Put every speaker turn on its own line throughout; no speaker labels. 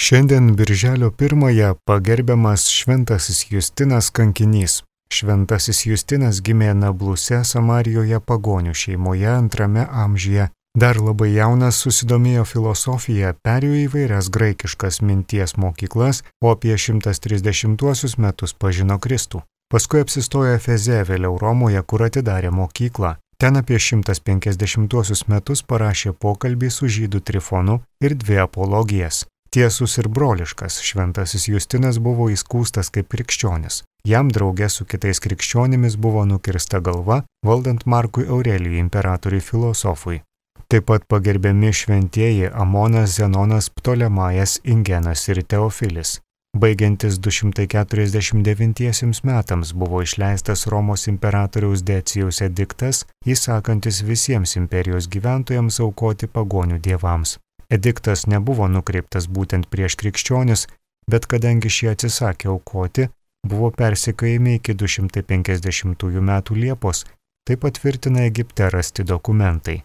Šiandien birželio 1-ąją pagerbiamas Šventasis Justinas kankinys. Šventasis Justinas gimė Nabluse, Samarijoje pagonių šeimoje 2 amžiuje. Dar labai jaunas susidomėjo filosofija, perėjo įvairias graikiškas minties mokyklas, o apie 130 metus pažino Kristų. Paskui apsistojo Efeze, vėliau Romoje, kur atidarė mokyklą. Ten apie 150 metus parašė pokalbį su žydų Trifonu ir 2 apologijas. Tiesus ir broliškas, Šventasis Justinas buvo įskųstas kaip krikščionis. Jam drauge su kitais krikščionimis buvo nukirsta galva, valdant Markui Aurelijui, imperatoriui filosofui. Taip pat pagerbiami šventieji Amonas, Zenonas, Ptolemajas, Ingenas ir Teofilis. Baigiantis 249 metams buvo išleistas Romos imperatoriaus Decijaus ediktas, įsakantis visiems imperijos gyventojams aukoti pagonių dievams. Ediktas nebuvo nukreiptas būtent prieš krikščionis, bet kadangi šie atsisakė aukoti, buvo persekiojami iki 250 metų Liepos, tai patvirtina Egipte rasti dokumentai.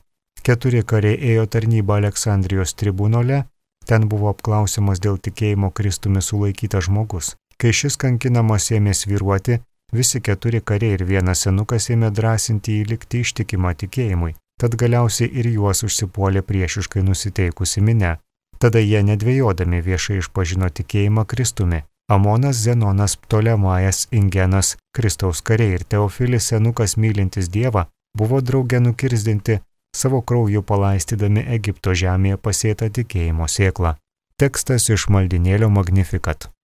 4 kariai ėjo tarnybą Aleksandrijos tribunole, ten buvo apklausiamas dėl tikėjimo Kristumi sulaikytas žmogus. Kai šis kankinamas ėmė svyruoti, visi 4 kariai ir 1 senukas ėmė drąsinti jį likti ištikimą tikėjimui. Tad galiausiai ir juos užsipuolė priešiškai nusiteikusi minia. Tada jie nedvejodami viešai išpažino tikėjimą Kristumi. Amonas, Zenonas, Ptolemajas, Ingenas, Kristaus kariai ir Teofilis, senukas mylintis Dievą, buvo drauge nukirzdinti, savo krauju palaistydami Egipto žemėje pasėtą tikėjimo sėklą. Tekstas iš maldinėlio Magnificat.